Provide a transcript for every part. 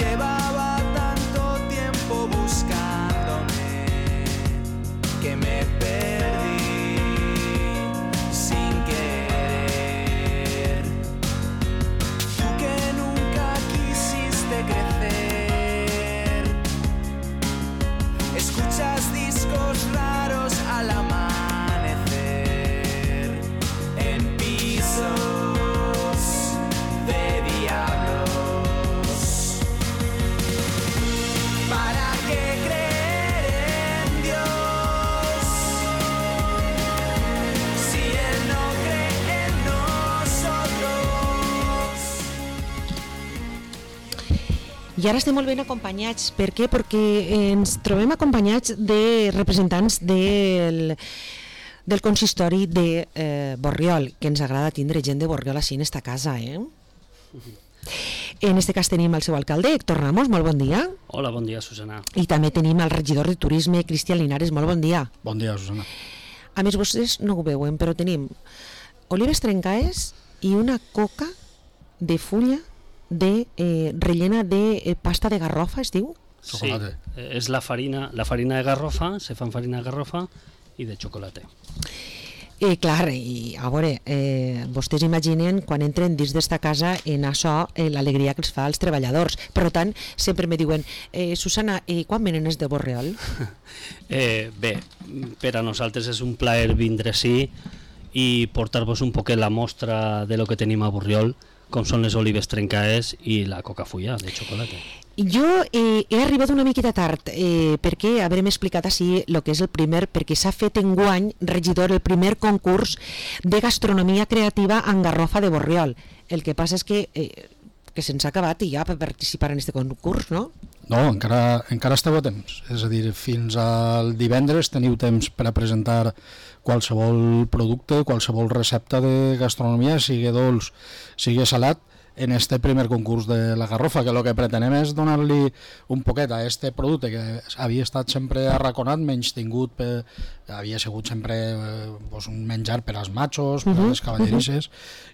Llevaba tanto tiempo buscándome que me perdí sin querer. Tú que nunca quisiste crecer, escuchas discos raros al amanecer en pisos de diablos. ¿Para qué creer en Dios si Él no cree en nosotros? I ara estem molt ben acompanyats. Per què? Perquè ens trobem acompanyats de representants del consistori de Borriol, que ens agrada tindre gent de Borriol així en esta casa, En este cas tenim el seu alcalde, Héctor Ramos, molt bon dia. Hola, bon dia, Susana. I també tenim el regidor de Turisme, Cristian Linares, molt bon dia. Bon dia, Susana. A més, vostès no ho veuen, però tenim olives trencaes i una coca de fulla rellena de pasta de garrofa, es diu? Chocolate. Sí, és la farina de garrofa, se fan farina de garrofa i de xocolate. Clar, i a veure, vostès imaginen quan entren dins d'esta casa en això l'alegria que els fa als treballadors. Per tant, sempre me diuen, Susana, quan venen els de Borriol? Bé, per a nosaltres és un plaer vindre ací i portar-vos un poquet la mostra de lo que tenim a Borriol, com són les olives trencaes i la coca fulla de xocolate. Jo he arribat una miqueta tard perquè haurem explicat així el que és el primer, perquè s'ha fet enguany, regidor, el primer concurs de gastronomia creativa en Garrofa de Borriol. El que passa és que se'ns ha acabat i ja per participar en aquest concurs, no? No, encara esteu a temps. És a dir, fins al divendres teniu temps per a presentar qualsevol producte, qualsevol recepta de gastronomia, sigui dolç, sigui salat, en este primer concurs de la Garrofa, que el que pretenem és donar-li un poquet a este producte que havia estat sempre arraconat, menys tingut, havia sigut sempre un menjar per als machos, per a les cavallerisses,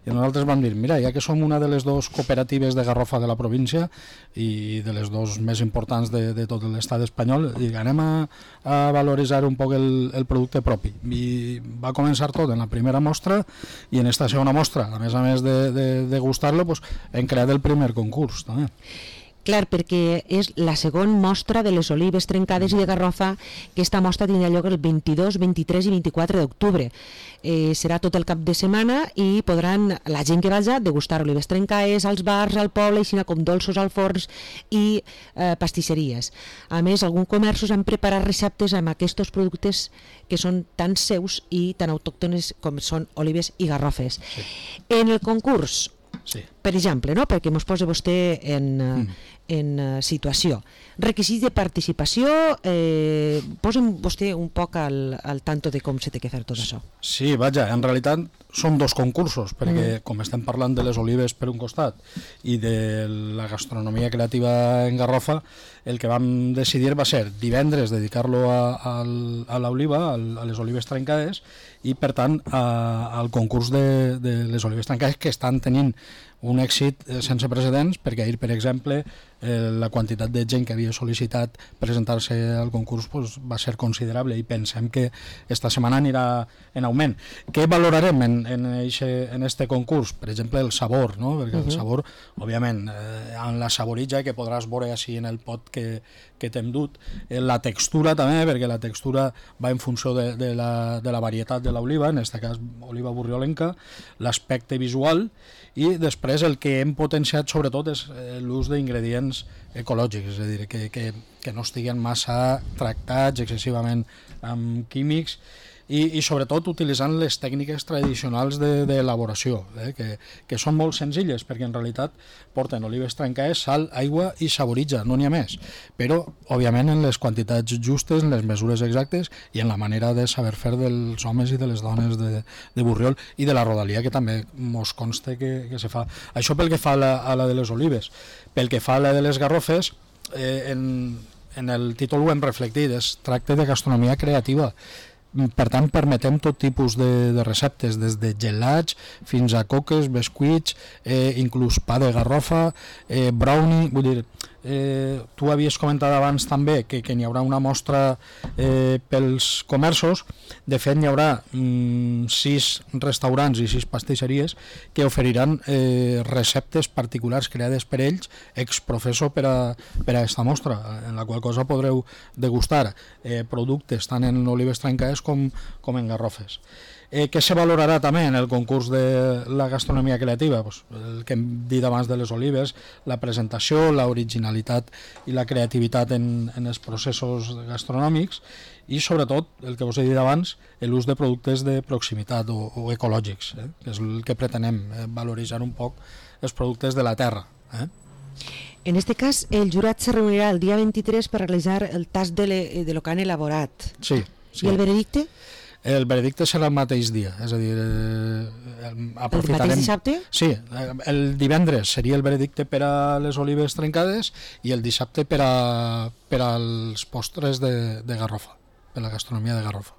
i nosaltres vam dir, mira, ja que som una de les dues cooperatives de Garrofa de la província i de les dues més importants de tot l'estat espanyol, anem a valoritzar un poc el producte propi. I va començar tot en la primera mostra, i en esta segona mostra, a més de degustar-lo, hem creat el primer concurs també. Clar, perquè és la segona mostra de les olives trencades i de Garrofa, que esta mostra tindrà lloc el 22, 23 i 24 d'octubre. Serà tot el cap de setmana i podran la gent que vagi degustar olives trencades als bars, al poble, així com dolços al forns i pastisseries. A més, alguns comerços han preparat receptes amb aquests productes que són tan seus i tan autòctones com són olives i garrofes. Sí. En el concurs, sí, per exemple, no? Perquè ens posa vostè en situació. Requisits de participació, posa'm vostè un poc al tanto de com se té que fer tot això. Sí, vaja, en realitat són dos concursos, perquè com estem parlant de les olives per un costat i de la gastronomia creativa en Garrofa, el que vam decidir va ser divendres dedicar-lo a l'oliva, a les olives trencades, i per tant al concurs de les olives trencades, que estan tenint un èxit sense precedents, perquè ahir, per exemple, la quantitat de gent que havia sol·licitat presentar-se al concurs va ser considerable i pensem que esta setmana anirà en augment. Què valorarem en este concurs? Per exemple, el sabor, no? Perquè el sabor, òbviament, en la saboritja, que podràs veure així en el pot que t'hem dut, la textura també, perquè la textura va en funció de la varietat de l'oliva, en aquest cas oliva borriolenca, l'aspecte visual, i després el que hem potenciat sobretot és l'ús d'ingredients ecològics, és a dir, que no estiguen massa tractats excessivament amb químics i sobretot utilitzant les tècniques tradicionals d'elaboració, que són molt senzilles, perquè en realitat porten olives trencades, sal, aigua i saboritja, no n'hi ha més, però òbviament en les quantitats justes, en les mesures exactes i en la manera de saber fer dels homes i de les dones de Borriol i de la rodalia, que també mos consta que se fa. Això pel que fa a la de les olives. Pel que fa a la de les garrofes, en el títol ho hem reflectit, es tracta de gastronomia creativa. Per tant, permetem tot tipus de receptes, des de gelats fins a coques, bescuits, inclús pa de garrofa, brownie, vull dir, tu havies comentat abans també que n'hi haurà una mostra pels comerços. De fet, n'hi haurà 6 restaurants i 6 pastisseries que oferiran receptes particulars creades per ells ex professo per a aquesta mostra, en la qual cosa podreu degustar productes tant en olives trencades com en garrofes. Què se valorarà també en el concurs de la gastronomia creativa? Pues el que hem dit abans de les olives, la presentació, l'originalitat i la creativitat en els processos gastronòmics i sobretot, el que us he dit abans, l'ús de productes de proximitat o ecològics, que és el que pretenem, valoritzar un poc els productes de la terra. En este cas, el jurat se reunirà el dia 23 per realitzar el tast de lo que han elaborat. Sí. I el veredicte? El veredicte serà el mateix dia, és a dir, El aprofitarem... mateix dissabte? Sí, el divendres seria el veredicte per a les olives trencades i el dissabte per als postres de Garrofa, per la gastronomia de Garrofa.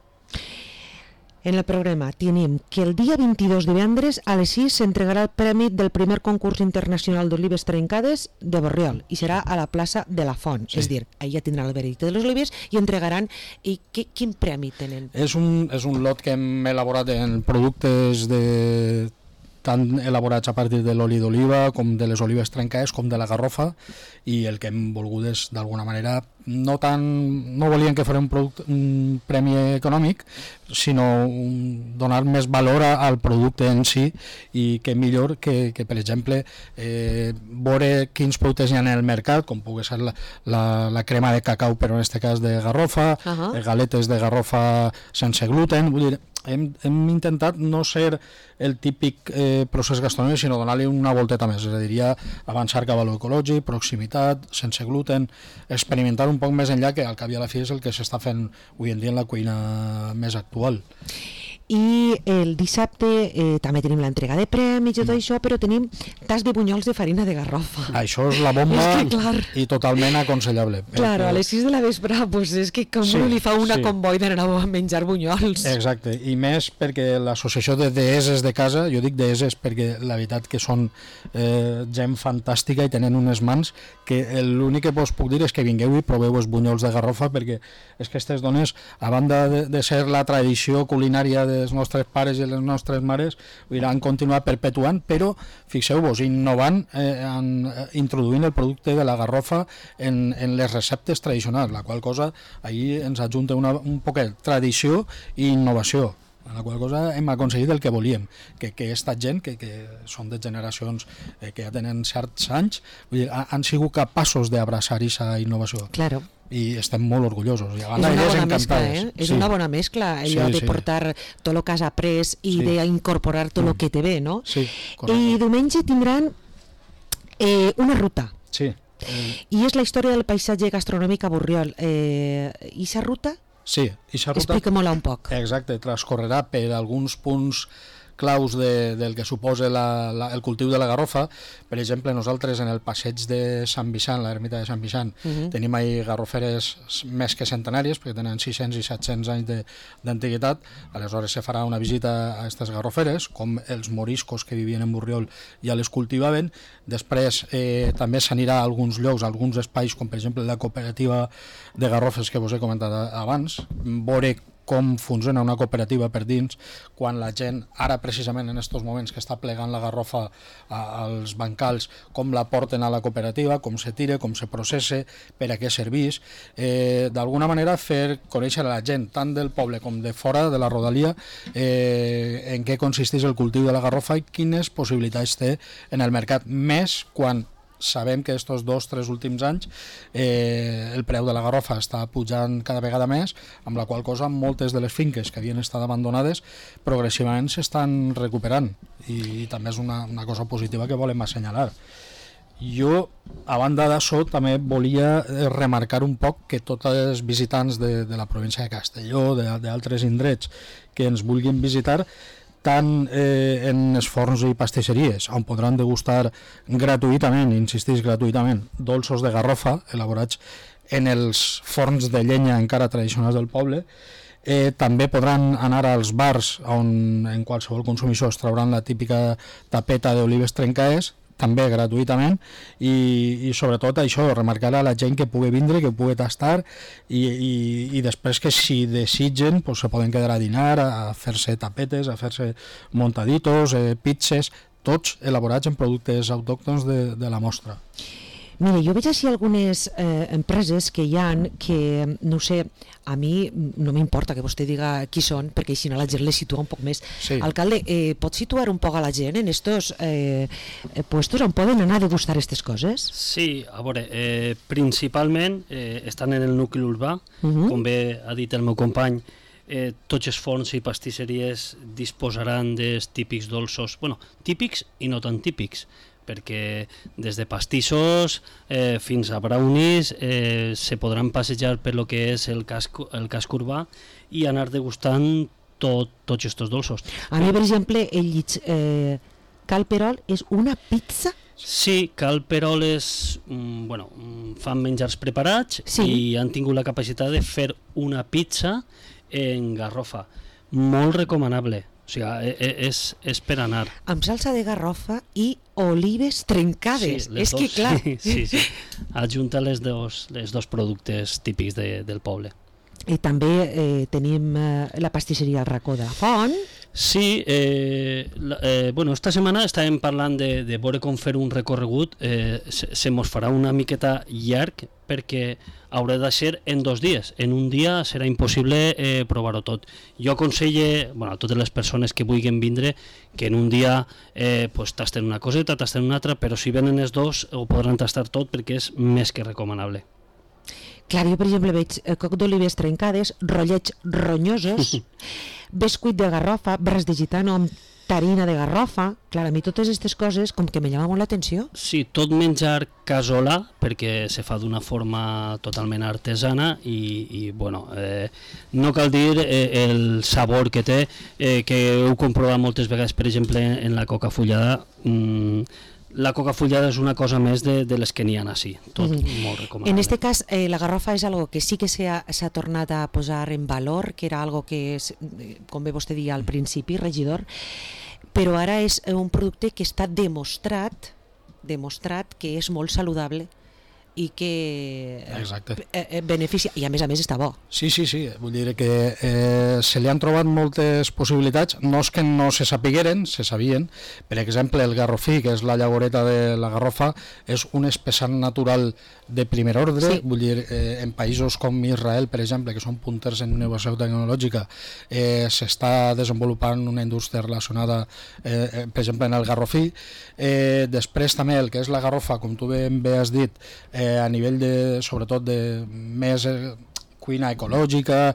En el programa tenim que el dia 22 divendres a les 6 s'entregarà el premi del primer concurs internacional d'olives trencades de Borriol i serà a la plaça de la Font, Sí. és a dir, allà tindran el veredicte de les olives i entregaran... I quin premi tenen? És un lot que hem elaborat en productes tant elaborats a partir de l'oli d'oliva com de les olives trencades com de la garrofa, i el que hem volgut és d'alguna manera no volíem que fos un premi econòmic, sinó donar més valor al producte en si, i que millor que per exemple veure quins productes hi ha en el mercat, com pugui ser la crema de cacau, però en aquest cas de garrofa, galetes de garrofa sense gluten. Vull dir, hem intentat no ser el típic procés gastronòmic, sinó donar-li una volteta més, és a dir, avançar cap a l'ecològic, proximitat, sense gluten, experimentar un poc més enllà, que al cap i a la fi és el que s'està fent avui en dia en la cuina més actual. I el dissabte també tenim l'entrega de premis i tot això, però tenim tas de bunyols de farina de garrofa. Això és la bomba i totalment aconsellable. Claro, a les 6 de la vespre, pues és que com li fa una comboi d'anar a menjar bunyols. Exacte, i més perquè l'associació de deeses de casa, jo dic deeses perquè la veritat que són gent fantàstica i tenen unes mans que l'únic que us puc dir és que vingueu i proveu els bunyols de garrofa, perquè és que aquestes dones, a banda de ser la tradició culinària dels nostres pares i les nostres mares, han continuat perpetuant, però fixeu-vos, innovant, introduint el producte de la garrofa en les receptes tradicionals, la qual cosa ahir ens ajunta un poquet tradició i innovació, en la qual cosa hem aconseguit el que volíem, que aquesta gent, que són de generacions que ja tenen certs anys, vull dir, han sigut capaços d'abraçar aquesta innovació. Claro. I estem molt orgullosos. I És una bona mescla, És una bona mescla, allò de portar tot el que has après i d'incorporar tot el que te ve, no? Sí, correcte. I diumenge tindran una ruta. Sí. I és la història del paisatge gastronòmic a Borriol. I aquesta ruta? Sí, aquesta ruta... Explica-me-la un poc. Exacte, transcorrerà per alguns punts claus del que suposa el cultiu de la garrofa. Per exemple, nosaltres en el passeig de Sant Vicent, l'ermita de Sant Vicent, tenim ahí garroferes més que centenàries, perquè tenen 600 i 700 anys d'antiguitat. Aleshores se farà una visita a aquestes garroferes, com els moriscos que vivien en Borriol ja les cultivaven. Després també s'anirà a alguns llocs, a alguns espais, com per exemple la cooperativa de garrofes que vos he comentat abans, veure com funciona una cooperativa per dins, quan la gent, ara precisament en aquests moments que està plegant la garrofa als bancals, com la porten a la cooperativa, com se tira, com se processa, per a què serveix. D'alguna manera fer conèixer a la gent, tant del poble com de fora de la rodalia, en què consisteix el cultiu de la garrofa i quines possibilitats té en el mercat, més quan sabem que aquests 2 o 3 últims anys el preu de la garrofa està pujant cada vegada més, amb la qual cosa moltes de les finques que havien estat abandonades progressivament s'estan recuperant, i també és una cosa positiva que volem assenyalar. Jo, a banda d'això, també volia remarcar un poc que tots els visitants de la província de Castelló, d'altres indrets que ens vulguin visitar, tant en els forns i pastisseries, on podran degustar gratuïtament, insistís gratuïtament, dolços de garrofa elaborats en els forns de llenya encara tradicionals del poble. També podran anar als bars on en qualsevol consumició es trauran la típica tapeta d'olives trencades, també gratuïtament i sobretot això, remarcar a la gent que pugui vindre, que pugui tastar i després que si desitgen pues, se poden quedar a dinar, a fer-se tapetes, a fer-se montaditos, pizzas, tots elaborats en productes autòctons de la mostra. Mira, jo veig així algunes empreses que hi han que, no sé, a mi no m'importa que vostè diga qui són, perquè així la gent les situa un poc més. Sí. Alcalde, pot situar un poc a la gent en estos puestos on poden anar a degustar aquestes coses? Sí, a veure, principalment estan en el nucli urbà, com bé ha dit el meu company, tots els forns i pastisseries disposaran dels típics dolços, bueno, típics i no tan típics, perquè des de pastissos fins a brownies se podran passejar per lo que és el casc urbà i anar degustant tots aquests dolços. A mi, per exemple, el llit Calperol és una pizza? Sí, Calperol és, fan menjars preparats i han tingut la capacitat de fer una pizza en garrofa. Molt recomanable. O sigui, és per anar. Amb salsa de garrofa i olives trencades. Sí, és que clar. Sí. Adjunta les dos productes típics del poble. I també tenim la pastisseria al racó de la Font. Sí, esta setmana estàvem parlant de veure com fer un recorregut. Se mos farà una miqueta llarg perquè haurà de ser en 2 dies. En un dia serà impossible provar-ho tot. Jo aconselle a totes les persones que vulguin vindre que en un dia tasten una coseta, tasten una altra, però si venen els dos ho podran tastar tot perquè és més que recomanable. Clar, jo per exemple veig coc d'olives trencades, rotllets ronyosos, bescuit de garrofa, braç de gitano amb tarina de garrofa. Clar, a mi totes aquestes coses com que me llama molt l'atenció. Sí, tot menjar casolà, perquè se fa d'una forma totalment artesana i no cal dir el sabor que té, que heu comprovat moltes vegades, per exemple, en la coca fullada. La coca fullada és una cosa més de les que n'hi ha així, tot molt recomanable. En este cas, la garrofa és algo que sí que s'ha tornat a posar en valor, que era algo que, com bé vostè deia al principi, regidor, però ara és un producte que està demostrat que és molt saludable i que beneficia, i a més està bo. Sí, vull dir que se li han trobat moltes possibilitats, no és que no se sapigueren, se sabien. Per exemple, el garrofí, que és la llavoreta de la garrofa, és un espessant natural de primer ordre, vull dir, en països com Israel, per exemple, que són punters en innovació tecnològica, s'està desenvolupant una indústria relacionada, per exemple, en el garrofí. Després també el que és la garrofa, com tu ben bé has dit, a nivell sobretot de més cuina ecològica,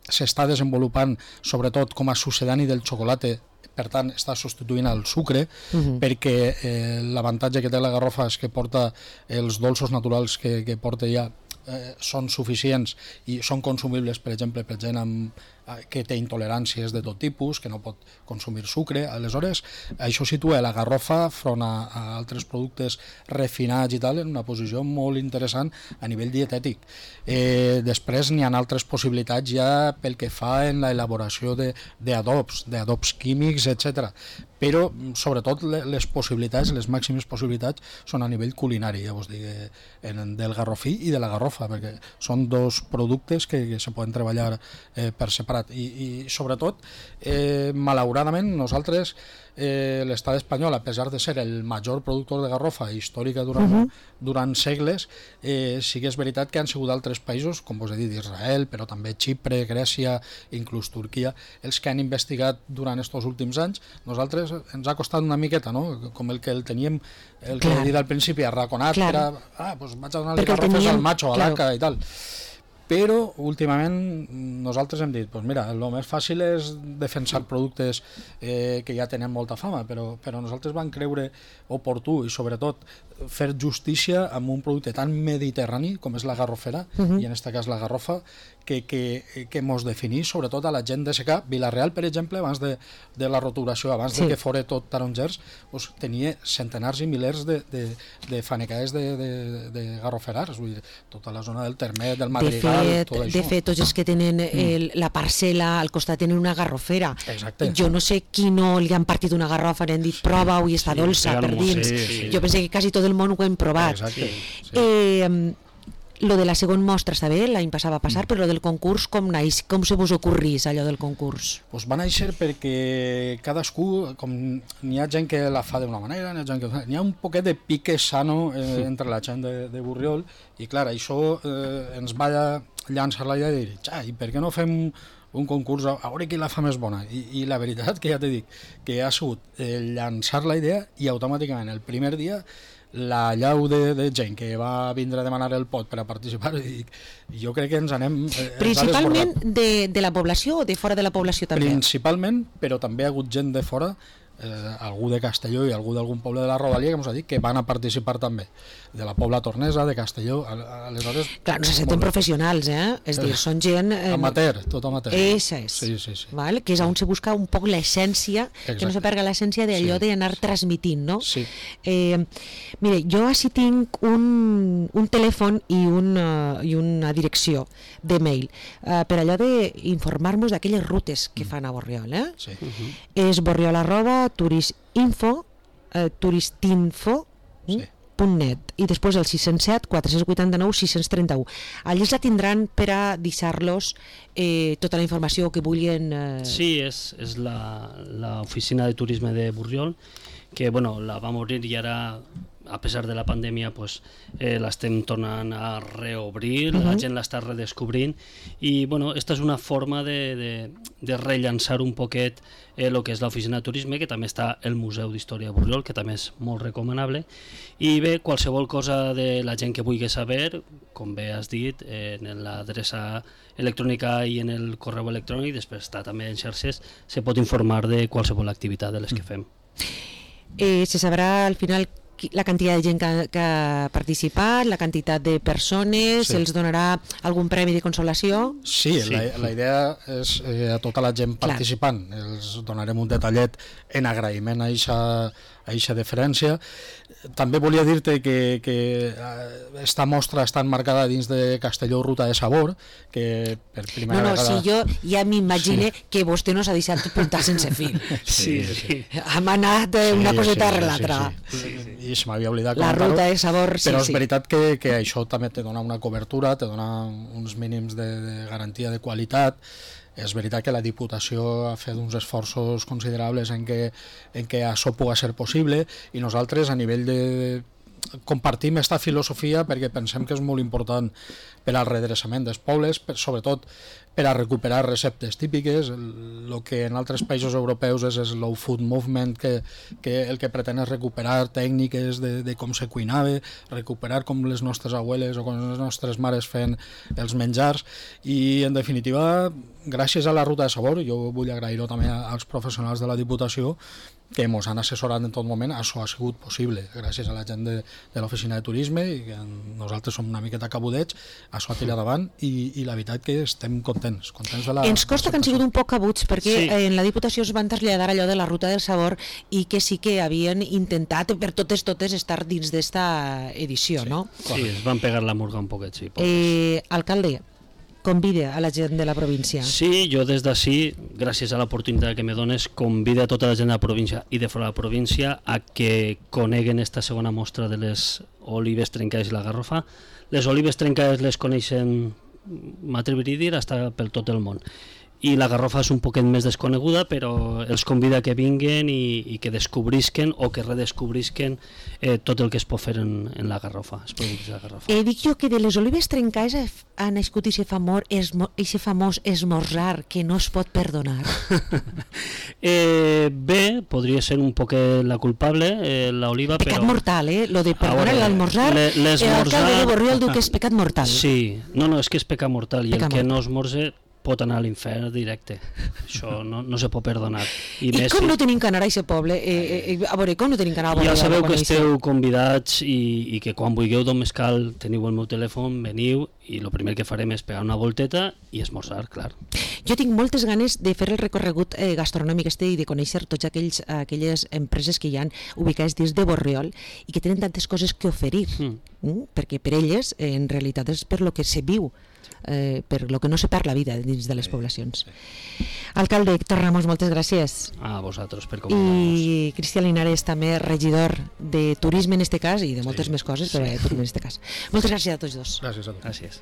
s'està desenvolupant sobretot com a succedani del xocolata, per tant està substituint el sucre, perquè l'avantatge que té la garrofa és que porta els dolços naturals que porta ja són suficients i són consumibles, per exemple, per gent que té intoleràncies de tot tipus, que no pot consumir sucre. Aleshores, això situa la garrofa front a altres productes refinats i tal en una posició molt interessant a nivell dietètic. Després n'hi ha altres possibilitats ja pel que fa en l'elaboració d'adobs químics, etc. Però, sobretot, les possibilitats, les màximes possibilitats, són a nivell culinari, ja vos dic, del garrofí i de la garrofa, perquè són dos productes que se poden treballar per separat. I sobretot, malauradament, nosaltres, l'estat espanyol, a pesar de ser el major productor de garrofa històrica durant segles, sí que és veritat que han sigut altres països, com vos he dit, Israel, però també Xipre, Grècia, inclús Turquia, els que han investigat durant aquests últims anys. Nosaltres ens ha costat una miqueta, no? Com el que el teníem, el que he dit al principi, arraconat, doncs vaig a donar-li garrofes al macho, a l'ACA i tal. Però últimament nosaltres hem dit, doncs mira, el més fàcil és defensar productes que ja tenen molta fama, però nosaltres vam creure oportú i sobretot fer justícia amb un producte tan mediterrani com és la garrofera, i en aquest cas la garrofa, que mos definís sobretot a la gent de secà. Vila-real, per exemple, abans de la roturació, abans de que fora tot tarongers, pues, tenia centenars i milers de fanecades de garroferars, vull dir, tota la zona del Termet, del Madrigal, tot això. De fet, tots els que tenen la parcel·la al costat tenen una garrofera. Exacte. Jo no sé qui no li han partit una garrofa, li han dit prova-ho i està dolça per dins. Jo penso que quasi tot el món ho hem provat. Exacte. Sí. Lo de la segona mostra està bé, l'any passat va passar, però lo del concurs com naix? Com se vos ocorrís allò del concurs? Pues va néixer perquè cadascú, com n'hi ha gent que la fa d'una manera, n'hi ha un poquet de pique sano entre la gent de Borriol, i clar, això ens va llançar la idea de dir, i per què no fem un concurs a veure qui la fa més bona? I la veritat que ja t'he dit, que ha sigut llançar la idea i automàticament el primer dia la llau de gent que va vindre a demanar el pot per a participar, i jo crec que ens anem... Principalment de la població o de fora de la població també? Principalment, però també ha hagut gent de fora, algú de Castelló i algú d'algun poble de la Rodalia, que ens ha dit que van a participar també, de la Pobla Tornesa, de Castelló, aleshores... Clar, no se senten professionals, És dir, són gent... Amateur, tot amateur. Eixa és. Sí. Val? Que és on se busca un poc l'essència, que no se perga l'essència d'allò d'anar transmitint, no? Sí. Mire, jo així tinc un telèfon i una direcció de mail per allò d'informar-nos d'aquelles rutes que fan a Borriol, Sí. És borriol@turistinfo, turistinfo.net, i després el 607 489 631. Allí la tindran per a deixar-los tota la informació que vulguin. Sí, és l'oficina de turisme de Borriol, que bueno, la vam obrir i ara, a pesar de la pandèmia, pues, l'estem tornant a reobrir, la gent l'està redescobrint, i bueno, esta és una forma de rellançar un poquet el que és l'oficina de turisme, que també està el Museu d'Història de Borriol, que també és molt recomanable, i bé, qualsevol cosa de la gent que vulgui saber, com bé has dit, en l'adreça electrònica i en el correu electrònic, després està també en xarxes, se pot informar de qualsevol activitat de les que fem. Se sabrà al final la quantitat de gent que ha participat, la quantitat de persones, se'ls donarà algun premi de consolació? Sí. La idea és a tota la gent participant. Els donarem un detallet en agraïment a eixa deferència. També volia dir-te que esta mostra està enmarcada dins de Castelló Ruta de Sabor, que per primera vegada... Sí, jo ja m'imagine que vostè no s'ha deixat puntar sense fil. Sí. Hem anat una coseta a l'altra. I se m'havia oblidat la Ruta de Sabor, però és veritat que això també te dona una cobertura, te dona uns mínims de garantia de qualitat. És veritat que la Diputació ha fet uns esforços considerables en què això pugui ser possible, i nosaltres a nivell de... compartim aquesta filosofia perquè pensem que és molt important per al redreçament dels pobles, sobretot per a recuperar receptes típiques. El que en altres països europeus és el slow food movement, que el que pretén és recuperar tècniques de com se cuinava, recuperar com les nostres abueles o com les nostres mares feien els menjars, i en definitiva, gràcies a la Ruta de Sabor, jo vull agrair-ho també als professionals de la Diputació que ens han assessorat en tot moment, això ha sigut possible gràcies a la gent de l'oficina de turisme, i que nosaltres som una miqueta cabudets, això ha tirat davant, i la veritat que estem contents de la... Ens costa que han sigut un poc cabuts, perquè en la Diputació es van traslladar allò de la Ruta del Sabor, i que sí que havien intentat per totes estar dins d'esta edició, no? Sí, es van pegar la murga un poquet, sí. Alcalde, convida a la gent de la província. Sí, jo des d'ací, gràcies a l'oportunitat que me dones, convida a tota la gent de la província i de fora de la província a que coneguen esta segona mostra de les olives trencades i la garrofa. Les olives trencades les coneixen, m'atreviria a dir, hasta per tot el món. I la garrofa és un poquet més desconeguda, però els convida que vinguen i que descobrisquen o que redescobrisquen tot el que es pot fer en la garrofa, els productes de la garrofa. Dic jo que de les olives trencades ha nascut aquest famós esmorzar que no es pot perdonar. Bé, podria ser un poquet la culpable, l'oliva, però... Pecat mortal, lo de perdonar l'almorzar, l'alcalde de Borriol diu que és pecat mortal. Sí, no, és que és pecat mortal, i el que no esmorze pot anar a l'infern directe. Això no se pot perdonar. I com no tenim que anar a aquest poble? A veure, com no tenim que anar a Borriol? Ja sabeu que esteu convidats i que quan vulgueu d'on més cal teniu el meu telèfon, veniu i el primer que farem és pegar una volteta i esmorzar, clar. Jo tinc moltes ganes de fer el recorregut gastronòmic i de conèixer tots aquelles empreses que hi ha ubicades dins de Borriol i que tenen tantes coses que oferir, perquè per elles en realitat és per lo que se viu, per lo que no se parla vida dins de les poblacions. Alcalde Héctor Ramos, moltes gràcies. A vosaltres per convidar-nos. I Cristian Linares, també regidor de turisme en este cas i de moltes més coses, però de turisme en este cas. Moltes gràcies a tots dos. Gràcies a tu. Gràcies.